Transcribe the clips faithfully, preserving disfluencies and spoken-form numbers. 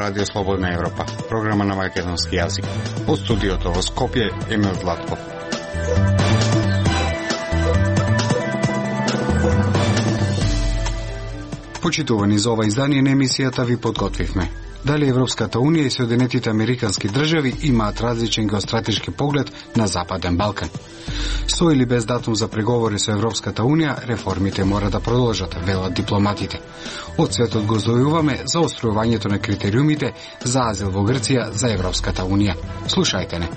Радио Слободна Европа, програма на македонски јазик. Од студиото во Скопје, Емил Златков. Почитувани за ова издание на емисијата ви подготвивме. Дали Европската Унија и Соединетите Американски држави имаат различен геостратешки поглед на Западен Балкан. Со или без датум за преговори со Европската Унија, реформите мора да продолжат, велат дипломатите. Од светот го здојуваме за остројувањето на критериумите за азил во Грција за Европската Унија. Слушајте не.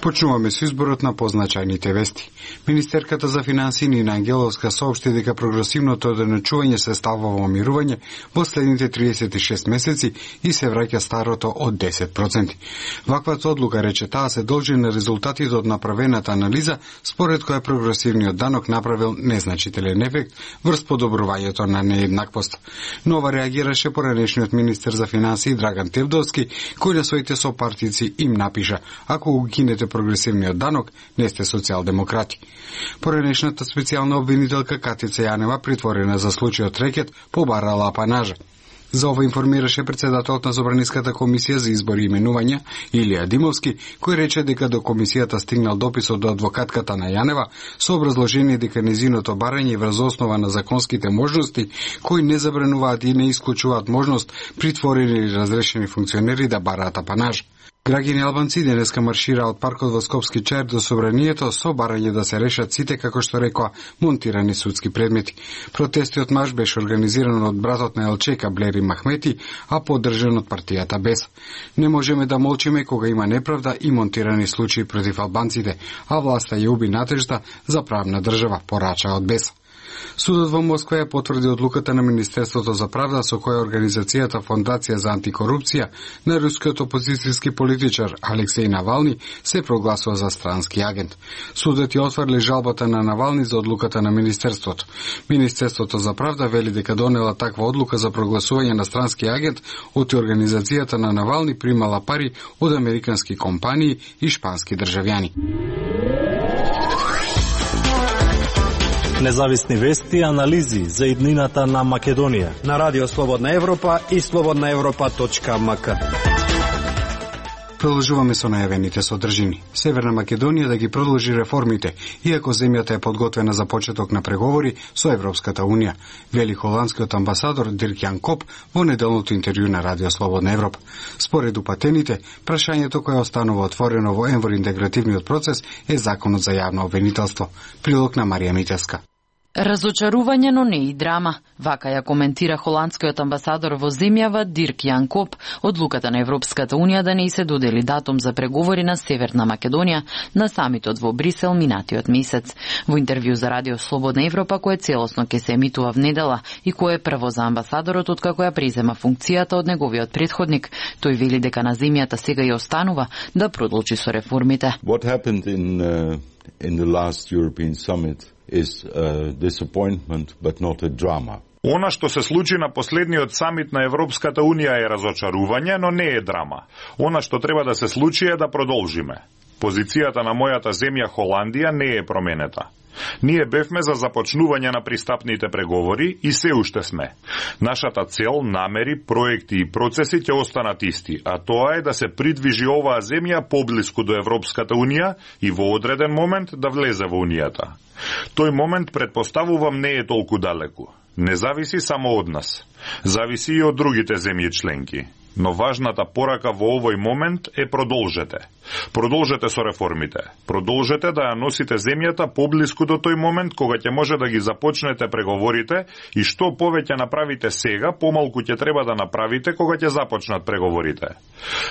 Почнуваме со изборот на позначајните вести. Министерката за финансии Нина Ангеловска соопшти дека прогресивното одначување се ставува во мирување во следните триесет и шест месеци и се враќа старото од десет проценти. Ваквата одлука, рече таа, се должи на резултатите од направената анализа, според која прогресивниот данок направил незначителен ефект врз подобрувањето на нееднаквост. Нова реагираше поранешниот министер за финансии Драган Тевдовски, кој на своите сопартици им напиша: ако го кинете прогресивниот данок, не сте социјалдемократи. Поранешната специјална обвинителка Катица Јанева, притворена за случајот рекет, побарала апанажа. За ова информираше председателот на Собраниската комисија за избори и именувања Илија Димовски, кој рече дека до комисијата стигнал допис од адвокатката на Јанева со образложение дека незиното барање е врз основа на законските можности кои не забрануваат и не исклучуваат можност притворени или разрешени функционери да бараат апанаж. Граѓани албанци денеска маршираа од паркот во Скопски чаир до Собранието со барање да се решат сите, како што рекоа, монтирани судски предмети. Протестиот марш беше организиран од братот на Елчека Блери Махмети, а поддржан од партијата БЕС. Не можеме да молчиме кога има неправда и монтирани случаи против албанците, а власта ја уби надежда за правна држава, порача од БЕС. Судот во Москва ја потврди одлуката на Министерството за правда со која организацијата Фондација за антикорупција на рускиот опозицијски политичар Алексеј Навални се прогласува за странски агент. Судот ја отфрли жалбата на Навални за одлуката на Министерството. Министерството за правда вели дека донела таква одлука за прогласување на странски агент од организацијата на Навални примала пари од американски компании и шпански државјани. Независни вести и анализи за иднината на Македонија на Радио Слободна Европа и слободна европа точка ем ка. Продолжуваме со најавените содржини. Северна Македонија да ги продолжи реформите, иако земјата е подготвена за почеток на преговори со Европската Унија, вели холандскиот амбасадор Дирк Јан Коп во неделното интервју на Радио Слободна Европа. Според упатените, прашањето кое останува отворено во енвор интегративниот процес е законот за јавно обвинителство. Прилог на Марија Митевска. Разочарување, но не и драма. Вака ја коментира холандскиот амбасадор во земјава Дирк Јан Коп одлуката на Европската Унија да не се додели датум за преговори на Северна Македонија на самитот во Брисел минатиот месец. Во интервју за Радио Слободна Европа, кое целосно ќе се емитува в недела и кое е прво за амбасадорот откако ја презема функцијата од неговиот претходник, тој вели дека на земјата сега ја останува да продолжи со реформите. What happened in uh, in the last European summit is a disappointment but not a drama. Она што се случи на последниот самит на Европската Унија е разочарување, но не е драма. Она што треба да се случи е да продолжиме. Позицијата на мојата земја Холандија не е променета. Ние бевме за започнување на пристапните преговори и се уште сме. Нашата цел, намери, проекти и процеси ќе останат исти, а тоа е да се придвижи оваа земја поблиску до Европската Унија и во одреден момент да влезе во Унијата. Тој момент, предпоставувам, не е толку далеку. Не зависи само од нас. Зависи и од другите земји членки. Но важната порака во овој момент е продолжете. Продолжете со реформите. Продолжете да ја носите земјата поблиску до тој момент кога ќе може да ги започнете преговорите и што повеќе направите сега, помалку ќе треба да направите кога ќе започнат преговорите.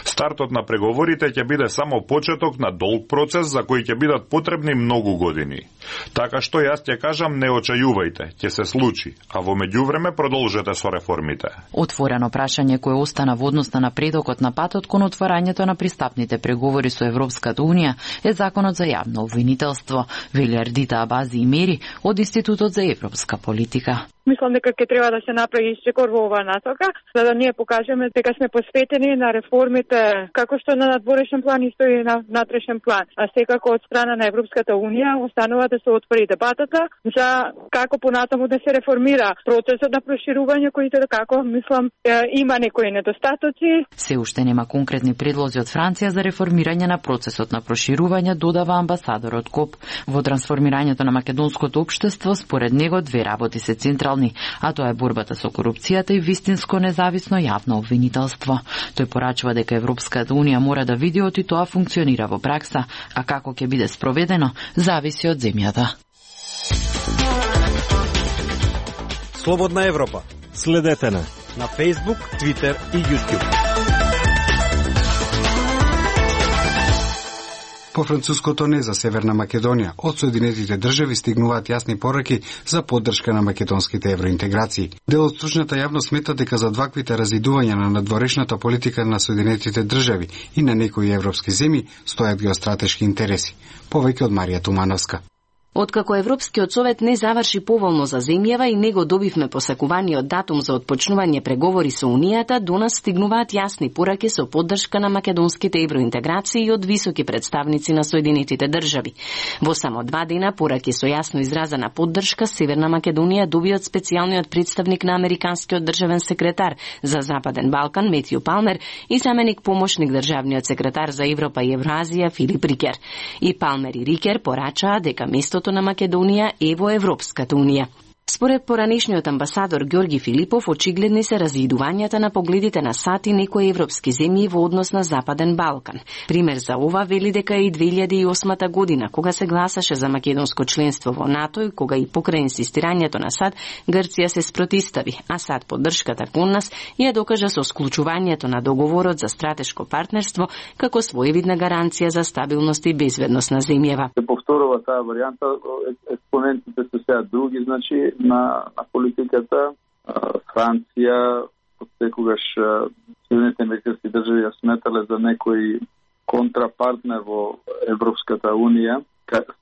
Стартот на преговорите ќе биде само почеток на долг процес за кој ќе бидат потребни многу години. Така што јас ќе кажам, не очајувајте, ќе се случи, а во меѓувреме продолжете со реформите. Отворено прашање кое остана во однос на напредокот на патот кон отварањето на пристапните преговори со Европската Унија е законот за јавно обвинителство, вели Ардита Абази и Мери од Институтот за европска политика. Мислам дека ќе треба да се направи исчекор во оваа насока, за да ние покажеме дека сме посветени на реформите како што на надворешен план исто и на внатрешен план. А секако од страна на Европската унија останува да се отвори дебатата за како понатаму да се реформира процесот на проширување, кој како мислам има некои недостатоци. Се уште нема конкретни предлози од Франција за реформирање на процесот на проширување, додава амбасадорот Коп. Во трансформирањето на македонското општество, според него две работи се централни, а тоа е борбата со корупцијата и вистинско независно јавно обвинителство. Тој порачува дека Европската унија мора да види оти тоа функционира во пракса, а како ќе биде спроведено, зависи од земјата. Слободна Европа. Следете на на Facebook, Twitter и YouTube. По француското не за Северна Македонија, од Соединетите држави стигнуваат јасни пораки за поддршка на македонските евроинтеграции. Дел од стручната јавност смета дека за дваквите разидувања на надворешната политика на Соединетите држави и на некои европски земји стојат геостратешки интереси. Повеќе од Марија Тумановска. Откако Европскиот совет не заврши поволно за земјава и него добивме посакуваниот датум за отпочнување преговори со Унијата, до нас стигнуваат јасни пораки со поддршка на македонските евроинтеграции од високи представници на Соединетите држави. Во само два дена пораки со јасно изразена поддршка Северна Македонија доби од специјалниот представник на американскиот државен секретар за Западен Балкан Метју Палмер и заменик помошник државниот секретар за Европа и Евразија Филип Рикер. И Палмер и Рикер порачаа дека местото на Македонија е во Европската унија. Според поранешниот амбасадор Ѓорги Филипов, очигледни се разидувањата на погледите на САД и некои европски земји во однос на Западен Балкан. Пример за ова вели дека и две илјади и осма година, кога се гласаше за македонско членство во НАТО и кога и покрај инсистирањето на САД, Грција се спротистави, а САД поддршката кон нас ја докажа со склучувањето на договорот за стратешко партнерство како своевидна гаранција за стабилност и безбедност на земјава. Се повторува таа варијанта, експонентите се сега други, значи на, на политиката. Франција секогаш Соединетите американски држави ја сметале за некој контрапартнер во Европската унија.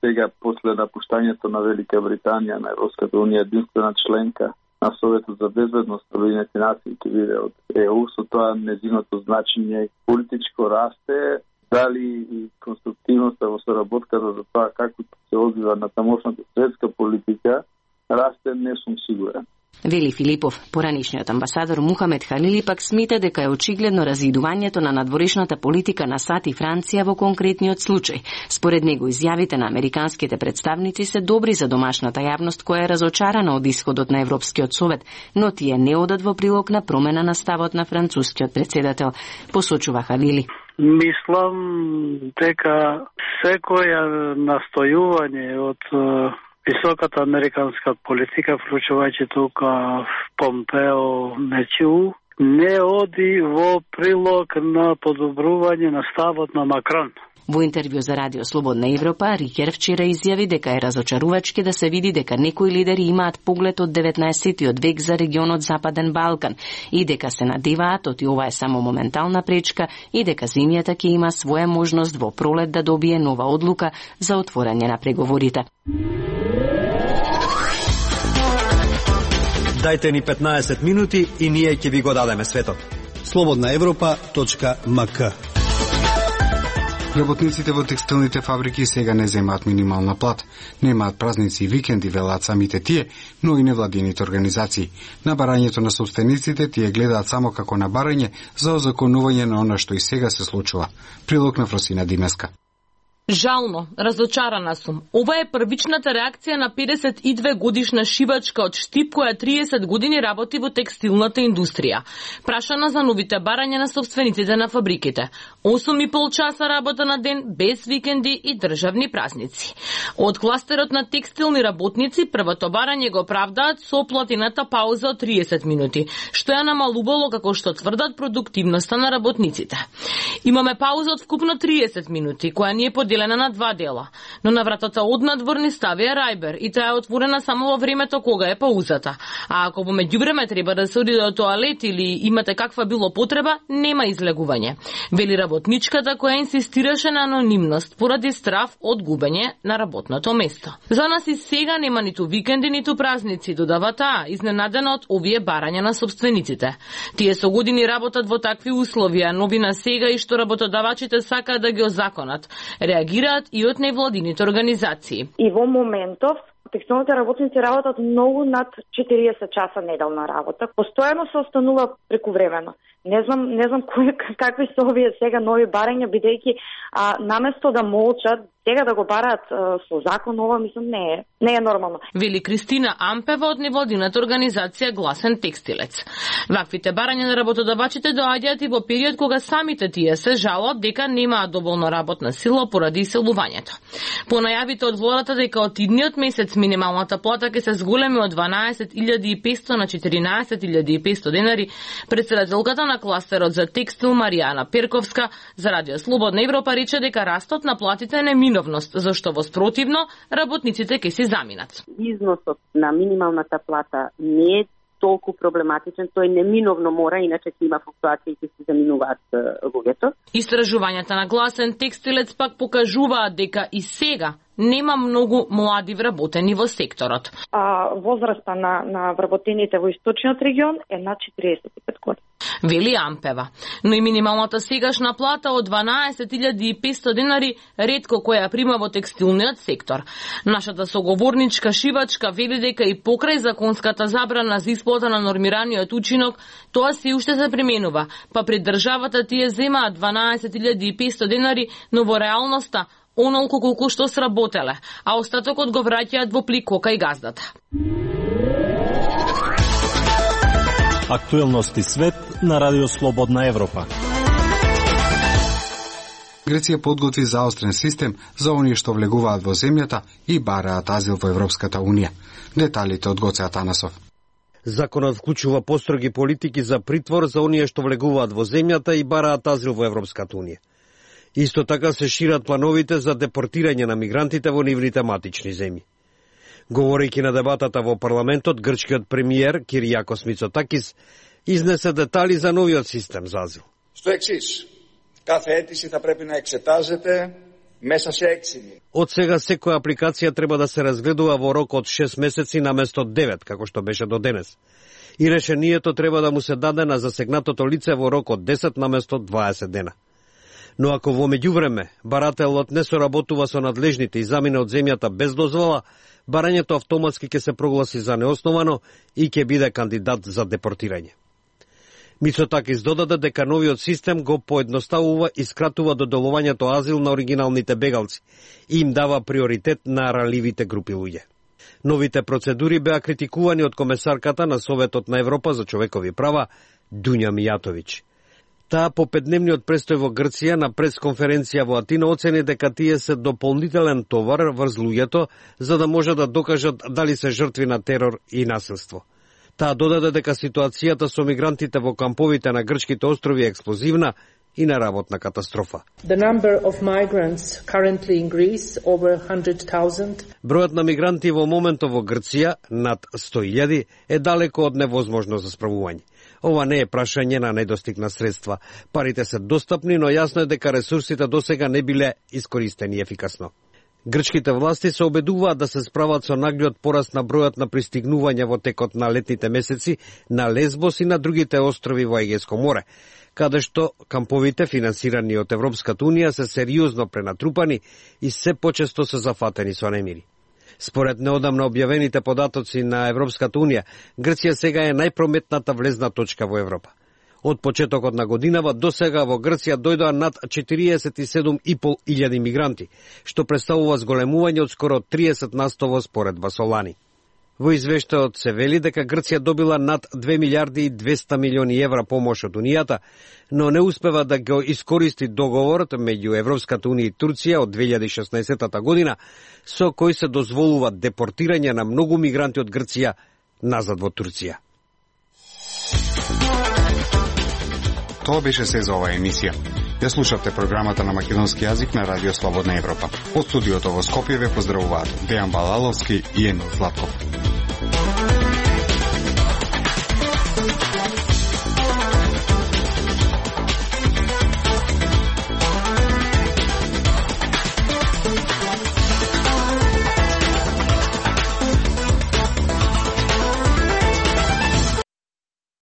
Сега, после напуштањето на Велика Британија на Европската унија, единствена членка на Советот за безбедност на Обединетите нации ќе биде од ЕУ, со тоа незиното значење политичко расте. Дали и конструктивноста во соработката за тоа како се одвива на тамошната светска политика расте, не сум сигурен. Вели Филипов. Поранешниот амбасадор Мухамед Халили пак смета дека е очигледно разидувањето на надворешната политика на САД и Франција во конкретниот случај. Според него изјавите на американските представници се добри за домашната јавност која е разочарана од исходот на Европскиот совет, но тие не одат во прилог на промена на ставот на францускиот претседател, посочува Халили. Мислам дека секоја настојување од високата американска политика, вклучувајќи тука Помпео Мечу, не оди во прилог на подобрување на ставот на Макрон. Во интервју за Радио Слободна Европа, Рикер вчера изјави дека е разочарувачки да се види дека некои лидери имаат поглед од деветнаесеттиот век за регионот Западен Балкан и дека се надеваат оти ова е само моментална пречка и дека земјата ќе има своја можност во пролет да добие нова одлука за отворање на преговорите. Дајте ни петнаесет минути и ние ќе ви го дадеме светот. слободна европа точка ем ка. Работниците во текстилните фабрики сега не земаат минимална плата. Немаат празници и викенди, велат самите тие, но и невладините организации. На барањето на собствениците тие гледаат само како на барање за озаконување на она што и сега се случува. Прилог на Фросина Димеска. Жално, разочарана сум. Ова е првичната реакција на педесет и две годишна шивачка од Штип која триесет години работи во текстилната индустрија. Прашана за новите барања на собствениците на фабриките. осум и пол часа работа на ден, без викенди и државни празници. Од кластерот на текстилни работници, првото барање го оправдаат со платината пауза од триесет минути, што ја намалувало како што тврдат продуктивноста на работниците. Имаме пауза од вкупно триесет минути, која ни е поделена поделена на два дела, но на вратата однадвор ни ставија рајбер и таа е отворена само во времето кога е паузата. А ако во меѓувреме треба да се оди до тоалет или имате каква било потреба, нема излегување, вели работничката која инсистираше на анонимност поради страв од губење на работното место. За нас и сега нема ниту викенди, ниту празници, додава таа, изненадена од овие барања на собствениците. Тие со години работат во такви услови, а новина сега и што работодавачите сакаат да ги озаконат. Реагираат и од невладините организации. И во моментов текстилните работници работат многу над четириесет часа неделна работа. Постојано се останува прекувремено. Не знам, не знам кои, какви се овие сега нови барања, бидејќи а, наместо да молчат, сега да го бараат а, со закон, ова мислам не е, не е нормално. Вели Кристина Ампева од невладината организација Гласен текстилец. Ваквите барања на работодавачите доаѓаат и во период кога самите тие се жалат дека немаат доволно работна сила поради иселувањето. По најавите од владата дека од идниот месец минималната плата ќе се зголеми од дванаесет илјади и петсто на четиринаесет илјади и петсто денари, претседателката на кластерот за текстил Маријана Перковска за Радио Слободна Европа рече дека растот на платите е неминовност, зашто во спротивно работниците ќе се заминат. Износот на минималната плата не е толку проблематичен, тој неминовно мора, иначе ќе има флуктуација и ќе се заминуваат луѓето. Истражувањата на Гласен текстилец пак покажуваат дека и сега нема многу млади вработени во секторот. А возраста на, на вработените во источниот регион е над четириесет и пет години. Вели Ампева. Но и минималната сегашна плата од дванаесет илјади и петсто денари ретко која прима во текстилниот сектор. Нашата соговорничка шивачка вели дека и покрај законската забрана за исплата на нормираниот учинок, тоа се уште се применува, па пред државата тие земаат дванаесет илјади и петсто денари, но во реалноста онолку колку што сработеле, а остатокот го враќаат во плик кај газдата. Актуелности свет на Радио Слободна Европа. Греција подготви заострен систем за оние што влегуваат во земјата и бараат азил во Европската Унија. Деталите од Гоце Атанасов. Законот вклучува построги политики за притвор за оние што влегуваат во земјата и бараат азил во Европската Унија. Исто така се шират плановите за депортирање на мигрантите во нивните матични земји. Говорејќи на дебатата во парламентот, грчкиот премиер Киријакос Мицотакис изнесе детали за новиот систем за азил. Στο εξής, κάθε αίτηση θα πρέπει να εξετάζεται μέσα σε έξι μήνες. Од сега секоја апликација треба да се разгледува во рок од шест месеци наместо девет, како што беше до денес. И решението треба да му се даде на засегнатото лице во рок од десет наместо дваесет дена. Но ако во меѓувреме барателот не соработува со надлежните и замине од земјата без дозвола, барањето автоматски ќе се прогласи за неосновано и ќе биде кандидат за депортирање. Мицотакис додаде дека новиот систем го поедноставува и скратува доделувањето азил на оригиналните бегалци и им дава приоритет на ранливите групи луѓе. Новите процедури беа критикувани од комесарката на Советот на Европа за човекови права Дуња Мијатовиќ. Таа по петдневниот престој во Грција на пресконференција во Атина оцени дека тие се дополнителен товар врз луѓето за да може да докажат дали се жртви на терор и насилство. Таа додаде дека ситуацијата со мигрантите во камповите на грчките острови е експлозивна и на работна катастрофа. The number of migrants currently in Greece over one hundred thousand. Бројот на мигранти во моментов во Грција над сто илјади е далеко од невозможно за справување. Ова не е прашање на недостиг на средства. Парите се достапни, но јасно е дека ресурсите досега не биле искористени ефикасно. Грчките власти се обедуваат да се справат со наглиот пораст на бројот на пристигнувања во текот на летните месеци на Лесбос и на другите острови во Егејско море, каде што камповите финансирани од Европската Унија се сериозно пренатрупани и се почесто се зафатени со немири. Според неодамна објавените податоци на Европската Унија, Грција сега е најпрометната влезна точка во Европа. Од почетокот на годинава до сега во Грција дојдоа над четириесет и седум и пол илјади мигранти, што представува зголемување од скоро триесет на сто во споредба со лани. Во извештајот се вели дека Грција добила над две милијарди и двеста милиони евра помош од Унијата, но не успева да го искористи договорот меѓу Европската Унија и Турција од две илјади и шеснаесетта година, со кој се дозволува депортирање на многу мигранти од Грција назад во Турција. Тоа беше се за оваа емисија. Ја слушавте програмата на македонски јазик на Радио Слободна Европа. Од студиото во Скопје ве поздравуваат Дејан Балаловски и Емил Златков.